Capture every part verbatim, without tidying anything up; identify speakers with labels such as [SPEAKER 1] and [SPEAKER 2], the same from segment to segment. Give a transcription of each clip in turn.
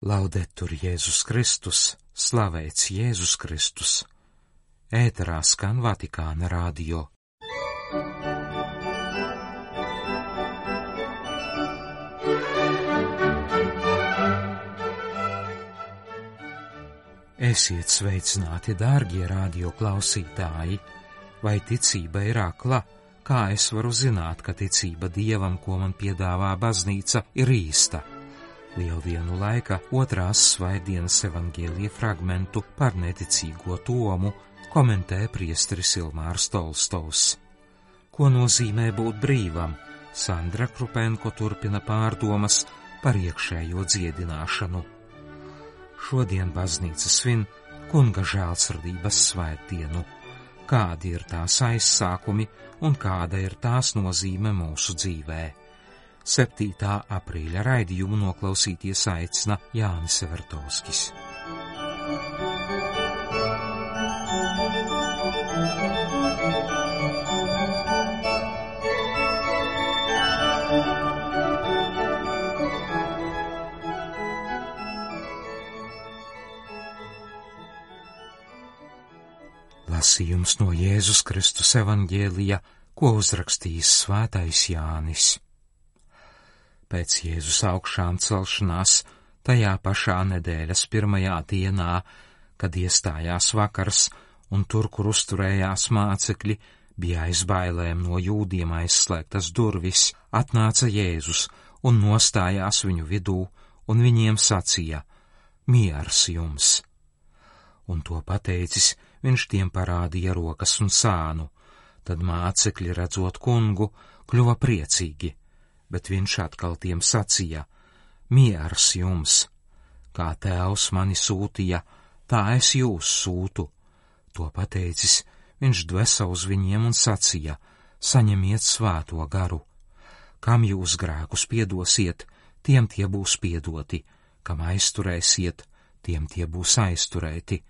[SPEAKER 1] Laudetur Jēzus Kristus, slavēts Jēzus Kristus. Ēterā skan Vatikāna radio. Esiet sveicināti, dārgie radio klausītāji! Vai ticība ir akla? Kā es varu zināt, ka ticība Dievam, ko man piedāvā baznīca, ir īsta? Lieldienu laika otrās svētdienas evaņģēlija fragmentu par neticīgo Tomu komentē priesteris Ilmārs Tolstovs. Ko nozīmē būt brīvam? Sandra Krupenko turpina pārdomas par iekšējo dziedināšanu. Šodien baznīca svin Kunga žēlsirdības svētdienu. Kādi ir tās aizsākumi un kāda ir tās nozīme mūsu dzīvē? septītā aprīļa raidījumu noklausīties aicina Jānis Evertovskis. Lasījums no Jēzus Kristus evaņģēlija, ko uzrakstījis svētais Jānis. Pēc Jēzus augšām celšanās, tajā pašā nedēļas pirmajā dienā, kad iestājās vakars un tur, kur uzturējās mācekļi, bija aiz bailēm no jūdiem aizslēgtas durvis, atnāca Jēzus un nostājās viņu vidū un viņiem sacīja: miers jums! Un to pateicis, viņš tiem parādīja rokas un sānu. Tad mācekļi, redzot kungu, kļuva priecīgi. Bet viņš atkal tiem sacīja: miers jums! Kā Tēvs mani sūtīja, tā es jūs sūtu. To pateicis, viņš dvesa uz viņiem un sacīja: saņemiet svēto garu. Kam jūs grēkus piedosiet, tiem tie būs piedoti, kam aizturēsiet, tiem tie būs aizturēti.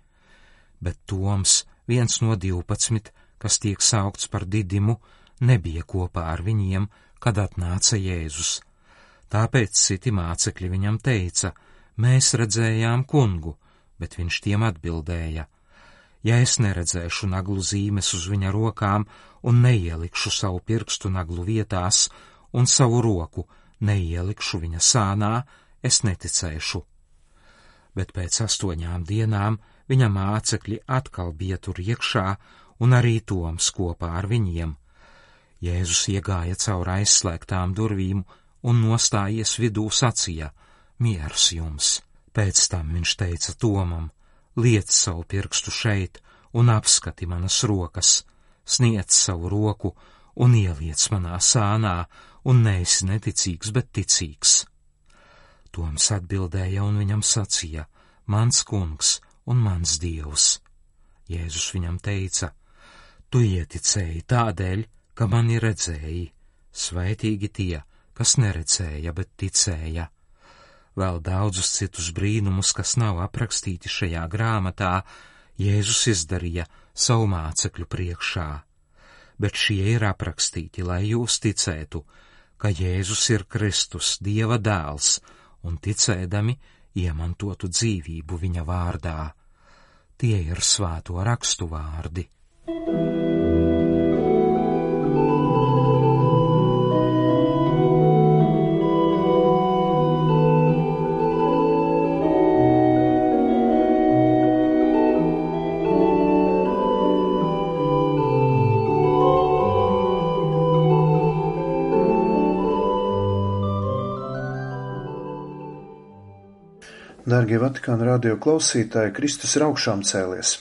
[SPEAKER 1] Bet Toms, viens no divpadsmit, kas tiek saukts par Didimu, nebija kopā ar viņiem, kad atnāca Jēzus. Tāpēc citi mācekļi viņam teica: mēs redzējām kungu, bet viņš tiem atbildēja: ja es neredzēšu naglu zīmes uz viņa rokām un neielikšu savu pirkstu naglu vietās un savu roku neielikšu viņa sānā, es neticēšu. Bet pēc astoņām dienām viņa mācekļi atkal bija tur iekšā un arī Toms kopā ar viņiem. Jēzus iegāja caur aizslēgtām durvīm un nostājies vidū sacīja: miers jums! Pēc tam viņš teica Tomam: liec savu pirkstu šeit un apskati manas rokas, sniedz savu roku un ieliec manā sānā, un neesi neticīgs, bet ticīgs. Toms atbildēja un viņam sacīja: mans kungs un mans Dievs. Jēzus viņam teica: tu ieticēji tādēļ, ka mani redzēji, svētīgi tie, kas neredzēja, bet ticēja. Vēl daudzus citus brīnumus, kas nav aprakstīti šajā grāmatā, Jēzus izdarīja savu mācekļu priekšā. Bet šie ir aprakstīti, lai jūs ticētu, ka Jēzus ir Kristus, Dieva dēls, un ticēdami iemantotu dzīvību viņa vārdā. Tie ir svēto rakstu vārdi.
[SPEAKER 2] Dārgie Vatikāna radio klausītāji, Kristus ir augšām cēlies.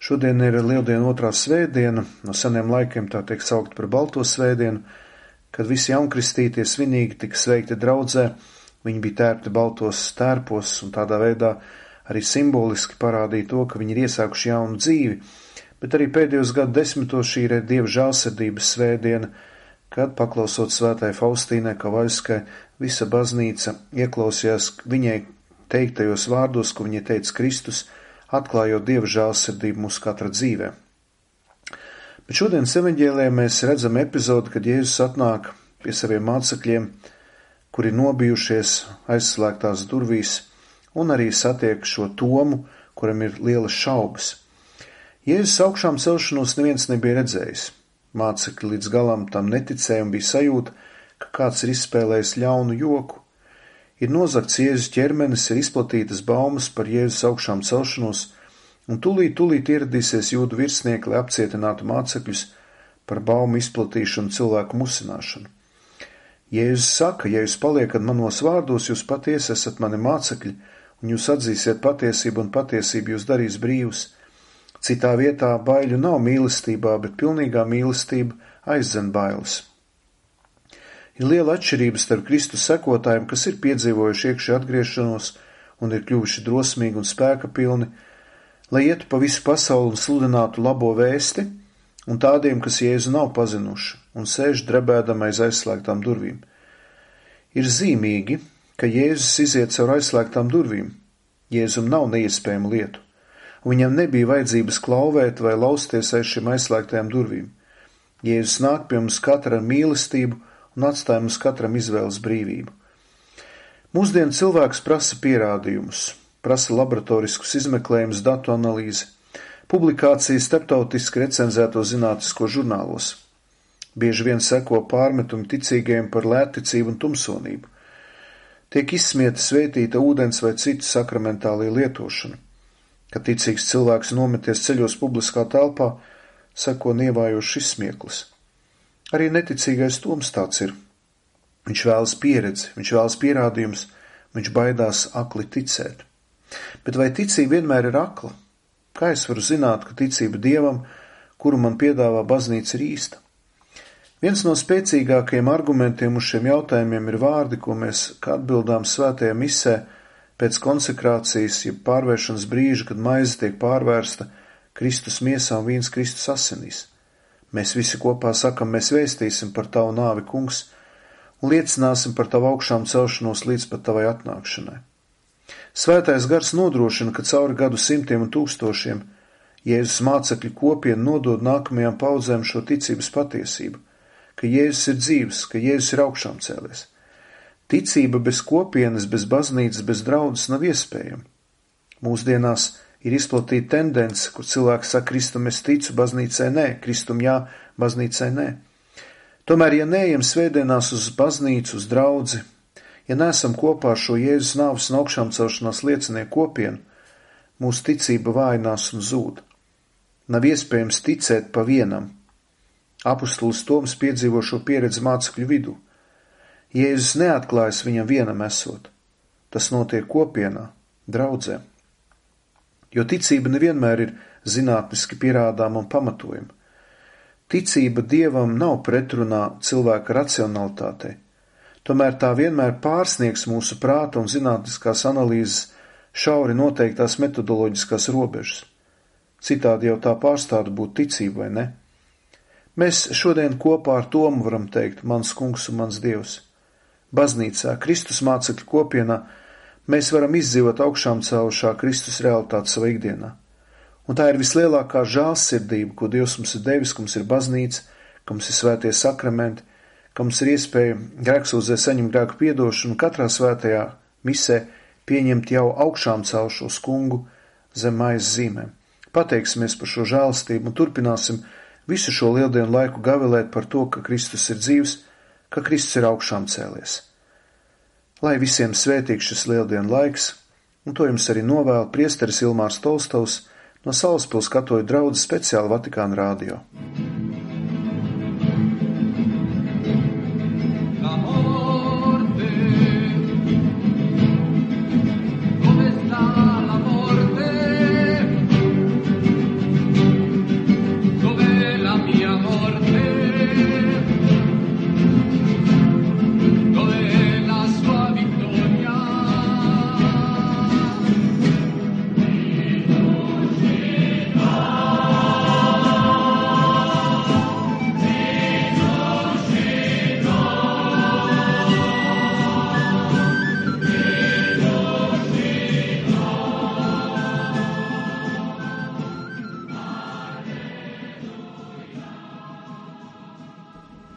[SPEAKER 2] Šodien ir Lieldienu otrā svētdiena, no seniem laikiem tā tiek saukt par Balto svētdienu, kad visi jaunkristītie svinīgi tika sveikti draudzē, viņi bija tērpti baltos tērpos un tādā veidā arī simboliski parādīja to, ka viņi ir iesākuši jaunu dzīvi, bet arī pēdējos gadu desmitos šī ir Dieva žēlsirdības svētdiena, kad, paklausot svētai Faustīnai Kavaļskai, visa baznīca ieklausījās viņai teiktajos vārdos, ko viņa teica Kristus, atklājot Dieva žēlsirdību mūsu katra dzīvē. Bet šodienas evaņģēlijā mēs redzam epizodi, kad Jēzus atnāk pie saviem mācekļiem, kuri nobijušies aizslēgtās durvīs, un arī satiek šo Tomu, kuram ir lielas šaubas. Jēzus augšām celšanos neviens nebija redzējis. Mācekļi līdz galam tam neticēja un bija sajūta, ka kāds ir izspēlējis ļaunu joku. Ir nozagts Jēzus ķermenis, ir izplatītas baumas par Jēzus augšām celšanos, un tūlīt, tūlīt ieradīsies jūdu virsnieki, lai apcietinātu mācekļus par baumu izplatīšanu, cilvēku musināšanu. Jēzus saka, ja jūs paliekat manos vārdos, jūs patiesi esat mani mācekļi, un jūs atzīsiet patiesību, un patiesību jūs darīs brīvus. Citā vietā baiļu nav mīlestībā, bet pilnīgā mīlestība aizdzen bailes. Ir liela atšķirība starp Kristus sekotājiem, kas ir piedzīvojuši iekšē atgriešanos un ir kļuvuši drosmīgi un spēka pilni, lai ietu pa visu pasauli un sludinātu labo vēsti, un tādiem, kas Jēzu nav pazinuši un sēž drebēdam aiz aizslēgtām durvīm. Ir zīmīgi, ka Jēzus iziet caur aizslēgtām durvīm. Jēzum nav neiespējamu lietu, un viņam nebija vajadzības klauvēt vai lausties aiz šiem aizslēgtajām durvīm. Jēzus nāk pie mums katra ar mīlestību un atstāja mums katram izvēles brīvību. Mūsdienu cilvēks prasa pierādījumus, prasa laboratoriskus izmeklējumus, datu analīzi, publikācijas starptautiski recenzēto zinātnisko žurnālos. Bieži vien seko pārmetumi ticīgajiem par lētticību un tumsonību. Tiek izsmieta svētīta ūdens vai citu sakramentālie lietošana. Kad ticīgs cilvēks nometies ceļos publiskā telpā, seko nievājošs izsmieklis. Arī neticīgais Toms tāds ir. Viņš vēlas pieredzi, viņš vēlas pierādījumus, viņš baidās akli ticēt. Bet vai ticība vienmēr ir akla? Kā es varu zināt, ka ticība Dievam, kuru man piedāvā baznīca, ir īsta? Viens no spēcīgākajiem argumentiem uz šiem jautājumiem ir vārdi, ko mēs kā atbildām svētajā misē pēc konsekrācijas, jeb pārvēršanas brīža, kad maize tiek pārvērsta Kristus miesā un vīns Kristus asinīs. Mēs visi kopā sakam, mēs vēstīsim par tavu nāvi, kungs, un liecināsim par tavu augšām celšanos līdz pat tavai atnākšanai. Svētais gars nodrošina, ka cauri gadu simtiem un tūkstošiem Jēzus mācekļu kopiena nodod nākamajām paudzēm šo ticības patiesību, ka Jēzus ir dzīvs, ka Jēzus ir augšām cēlies. Ticība bez kopienas, bez baznīcas, bez draudzes nav iespējama. Mūsdienās ir izplatīta tendence, kur cilvēks saka, Kristum es ticu, baznīcai nē, Kristum jā, baznīcai nē. Tomēr, ja neejam svētdienās uz baznīcu, uz draudzi, ja neesam kopā ar šo Jēzus nāves un augšām celšanās liecinieku kopienu, mūsu ticība vājinās un zūd. Nav iespējams ticēt pa vienam. Apustulis Toms piedzīvo šo pieredzi mācekļu vidū. Jēzus neatklājas viņam vienam esot. Tas notiek kopienā, draudzē. Jo ticība nevienmēr ir zinātniski pierādāma un pamatojama. Ticība Dievam nav pretrunā cilvēka racionalitātei. Tomēr tā vienmēr pārsniegs mūsu prāta un zinātniskās analīzes šauri noteiktās metodoloģiskās robežas. Citādi jau tā pārstātu būt ticība, vai ne? Mēs šodien kopā ar Tomu varam teikt, mans kungs un mans Dievs. Baznīcā, Kristus mācekļu kopienā, mēs varam izdzīvot augšām cēlušā Kristus realitāti savā ikdienā. Un tā ir vislielākā žēlsirdība, ko Dievs mums ir devis, ka mums ir baznīca, ka mums ir svētie sakramenti, ka mums ir iespēja grēksūdzē saņemt grēku piedošanu un katrā svētajā misē pieņemt jau augšām celšos kungu zem maizes zīmēm. Pateiksimies par šo žēlstību un turpināsim visu šo lieldienu laiku gavilēt par to, ka Kristus ir dzīvs, ka Kristus ir augšām cēlies. Lai visiem svētīgs šis lieldienu laiks, un to jums arī novēl priesteris Ilmārs Tolstovs no Salaspils katoļu draudzes speciāli Vatikāna radio.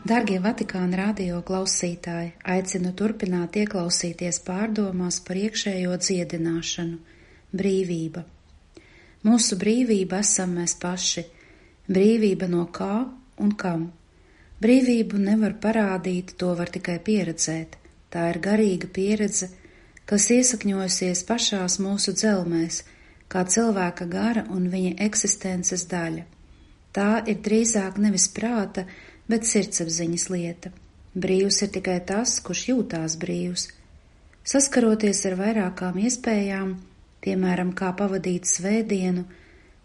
[SPEAKER 3] Dargie Vatikāna radio klausītāji, aicinu turpināt ieklausīties pārdomās par iekšējo dziedināšanu – brīvība. Mūsu brīvība esam mēs paši, brīvība no kā un kam. Brīvību nevar parādīt, to var tikai pieredzēt. Tā ir garīga pieredze, kas iesakņojusies pašās mūsu dzelmēs, kā cilvēka gara un viņa eksistences daļa. Tā ir drīzāk nevis prāta, bet sirdsapziņas lieta. Brīvs ir tikai tas, kurš jūtās brīvs. Saskaroties ar vairākām iespējām, piemēram, kā pavadīt svētdienu,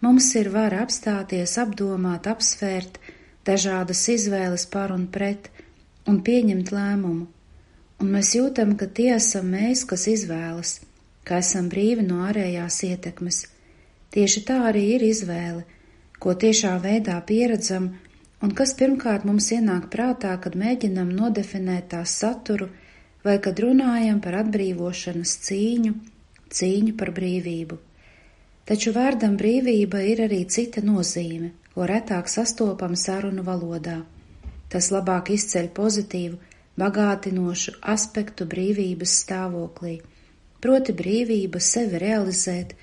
[SPEAKER 3] mums ir vara apstāties, apdomāt, apsvērt dažādas izvēles par un pret un pieņemt lēmumu. Un mēs jūtam, ka tie esam mēs, kas izvēlas, ka esam brīvi no ārējās ietekmes. Tieši tā arī ir izvēle, ko tiešā veidā pieredzam un kas pirmkārt mums ienāk prātā, kad mēģinam nodefinēt tās saturu vai kad runājam par atbrīvošanas cīņu, cīņu par brīvību. Taču vārdam brīvība ir arī cita nozīme, ko retāk sastopam sarunu valodā. Tas labāk izceļ pozitīvu, bagātinošu aspektu brīvības stāvoklī, proti brīvība sevi realizēt,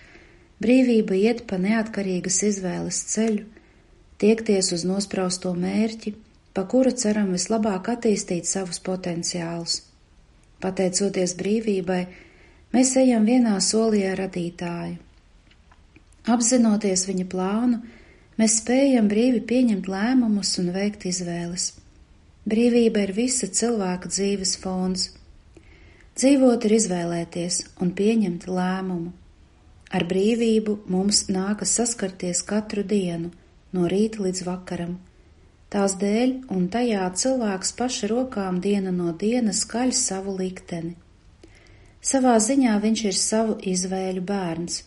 [SPEAKER 3] brīvība iet pa neatkarīgas izvēles ceļu, tiekties uz nosprausto mērķi, pa kuru ceram vislabāk attīstīt savus potenciālus. Pateicoties brīvībai, mēs ejam vienā solī ar radītāju. Apzinoties viņa plānu, mēs spējam brīvi pieņemt lēmumus un veikt izvēles. Brīvība ir visa cilvēka dzīves fons. Dzīvot ir izvēlēties un pieņemt lēmumu. Ar brīvību mums nākas saskarties katru dienu, no rīta līdz vakaram. Tās dēļ un tajā cilvēks paša rokām diena no dienas skaļ savu likteni. Savā ziņā viņš ir savu izvēļu bērns.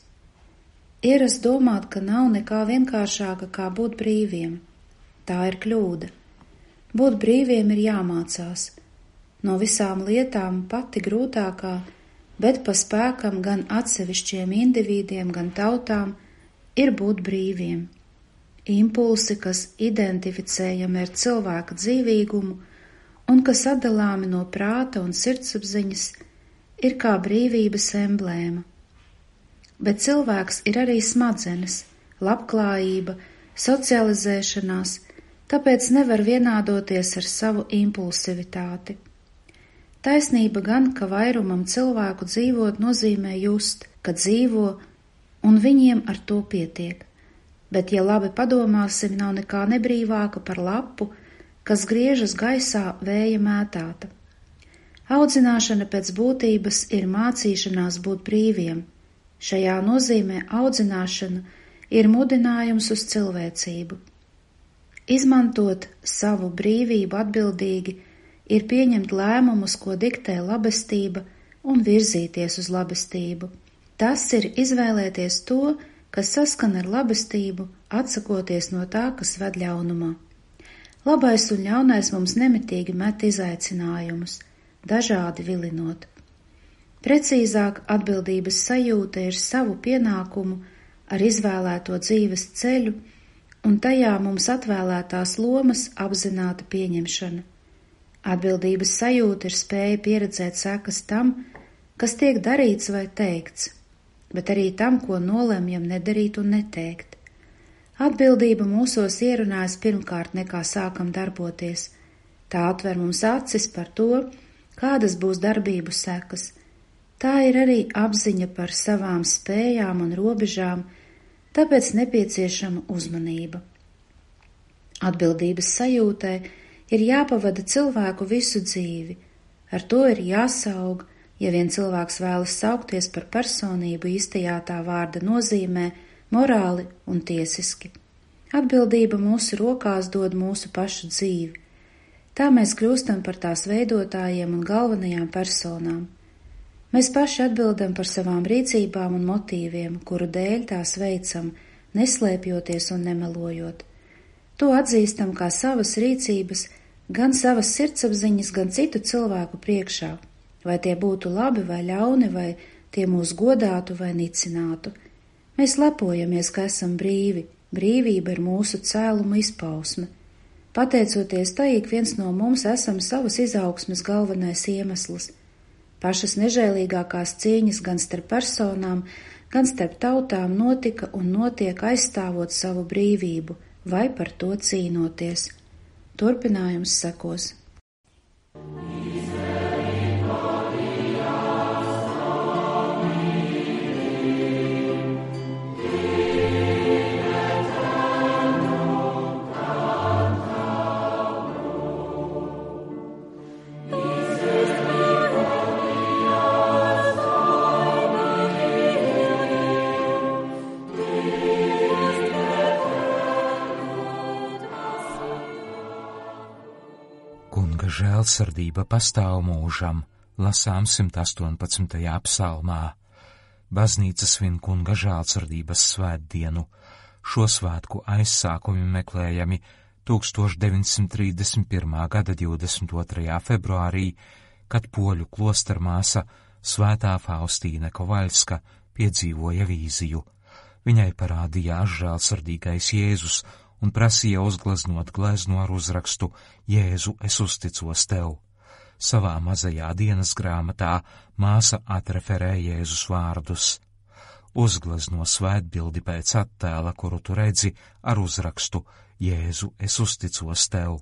[SPEAKER 3] Ierast domāt, ka nav nekā vienkāršāka kā būt brīviem. Tā ir kļūda. Būt brīviem ir jāmācās. No visām lietām pati grūtākā, bet pa spēkam gan atsevišķiem individiem, gan tautām, ir būt brīviem. Impulsi, kas identificējami ar cilvēka dzīvīgumu un kas atdalāmi no prāta un sirdsapziņas, ir kā brīvības emblēma. Bet cilvēks ir arī smadzenes, labklājība, socializēšanās, tāpēc nevar vienādoties ar savu impulsivitāti. Taisnība gan, ka vairumam cilvēku dzīvot nozīmē just, ka dzīvo, un viņiem ar to pietiek. Bet, ja labi padomāsim, nav nekā nebrīvāka par lapu, kas griežas gaisā vēja mētāta. Audzināšana pēc būtības ir mācīšanās būt brīviem. Šajā nozīmē audzināšana ir mudinājums uz cilvēcību. Izmantot savu brīvību atbildīgi ir pieņemt lēmumus, ko diktē labestība, un virzīties uz labestību. Tas ir izvēlēties to, kas saskan ar labestību, atsakoties no tā, kas ved ļaunumā. Labais un ļaunais mums nemitīgi met izaicinājumus, dažādi vilinot. Precīzāk, atbildības sajūta ir savu pienākumu ar izvēlēto dzīves ceļu un tajā mums atvēlētās lomas apzināta pieņemšana. Atbildības sajūta ir spēja pieredzēt sekas tam, kas tiek darīts vai teikts, bet arī tam, ko nolemjam nedarīt un neteikt. Atbildība mūsos ierunājas pirmkārt nekā sākam darboties. Tā atver mums acis par to, kādas būs darbību sekas. Tā ir arī apziņa par savām spējām un robežām, tāpēc nepieciešama uzmanība. Atbildības sajūtai ir jāpavada cilvēku visu dzīvi, ar to ir jāsaug. Ja vien cilvēks vēlas saukties par personību īstajā tā vārda nozīmē, morāli un tiesiski. Atbildība mūsu rokās dod mūsu pašu dzīvi. Tā mēs kļūstam par tās veidotājiem un galvenajām personām. Mēs paši atbildam par savām rīcībām un motīviem, kuru dēļ tās veicam, neslēpjoties un nemelojot. To atzīstam kā savas rīcības, gan savas sirdsapziņas, gan citu cilvēku priekšā. Vai tie būtu labi vai ļauni, vai tie mūs godātu vai nicinātu. Mēs lepojamies, ka esam brīvi, brīvība ir mūsu cēluma izpausme. Pateicoties tai, ik viens no mums esam savas izaugsmes galvenais iemesls. Pašas nežēlīgākās cīņas gan starp personām, gan starp tautām notika un notiek aizstāvot savu brīvību vai par to cīnoties. Turpinājums sekos.
[SPEAKER 1] Kunga žēlsirdība pastāv mūžam, lasām simt astoņpadsmitajā psalmā. Baznīca svin Kunga žēlsirdības svētdienu. Šo svētku aizsākumi meklējami tūkstoš deviņsimt trīsdesmit pirmā gada divdesmit otrajā februārī, kad poļu klostermāsa Svētā Faustīna Kovaļska piedzīvoja vīziju. Viņai parādījās žēlsirdīgais Jēzus un prasīja uzgleznot gleznu ar uzrakstu Jēzu, es uzticos tev. Savā mazajā dienas grāmatā māsa atreferē Jēzus vārdus. Uzglezno svētbildi pēc attēla, kuru tu redzi, ar uzrakstu Jēzu, es uzticos tev.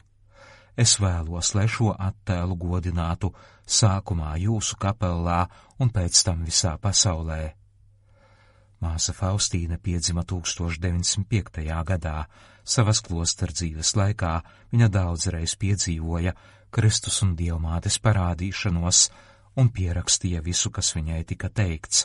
[SPEAKER 1] Es vēlos, lai šo attēlu godinātu sākumā jūsu kapellā un pēc tam visā pasaulē. Māsa Faustīna piedzima tūkstoš deviņsimt piektajā gadā. Savas klostera dzīves laikā viņa daudzreiz piedzīvoja Kristus un Dievmātes parādīšanos un pierakstīja visu, kas viņai tika teikts.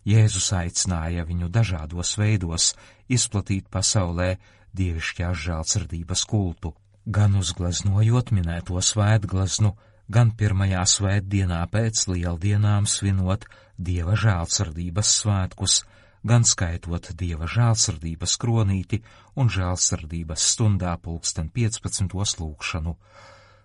[SPEAKER 1] Jēzus aicināja viņu dažādos veidos izplatīt pasaulē dievišķās žēlsirdības kultu, gan uzgleznojot minēto svētgleznu, gan pirmajā svētdienā pēc lieldienām svinot Dieva žēlsirdības svētkus, gan skaitot Dieva žēlsirdības kronīti un žēlsirdības stundā pulksten piecpadsmitos lūgšanu.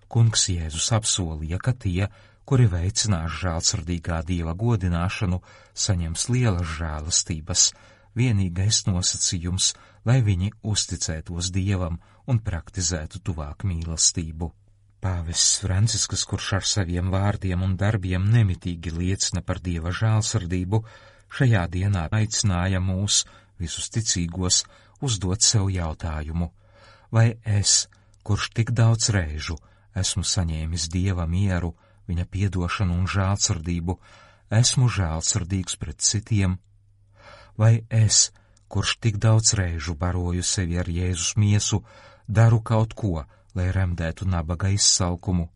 [SPEAKER 1] Kungs Jēzus apsolīja, ka tie, kuri veicinās žēlsirdīgā Dieva godināšanu, saņems lielas žēlastības, vienīgais nosacījums, lai viņi uzticētos Dievam un praktizētu tuvāk mīlestību. Pāvests Francisks, kurš ar saviem vārdiem un darbiem nemitīgi liecina par Dieva žēlsirdību, šajā dienā aicināja mūs, visus ticīgos, uzdot sev jautājumu, vai es, kurš tik daudz reižu esmu saņēmis Dieva mieru, viņa piedošanu un žēlsirdību, esmu žēlsirdīgs pret citiem, vai es, kurš tik daudz reižu baroju sevi ar Jēzus miesu, daru kaut ko, lai remdētu nabaga izsalkumu.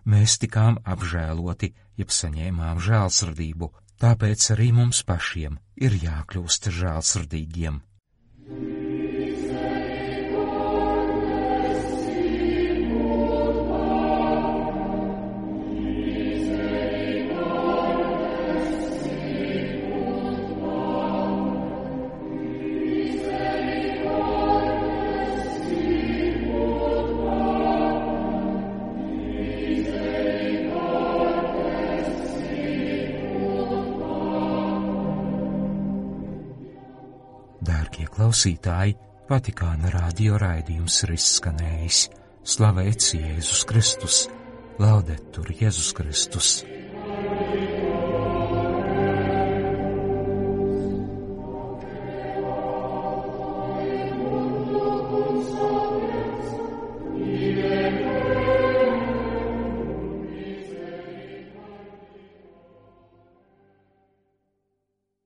[SPEAKER 1] Mēs tikām apžēloti, jeb saņēmām žēlsirdību, tāpēc arī mums pašiem ir jākļūst žēlsirdīgiem. Dārgie klausītāji, Vatikāna radio raidījums ir izskanējis. Slavēts Jēzus Kristus, laudetur Jēzus Kristus.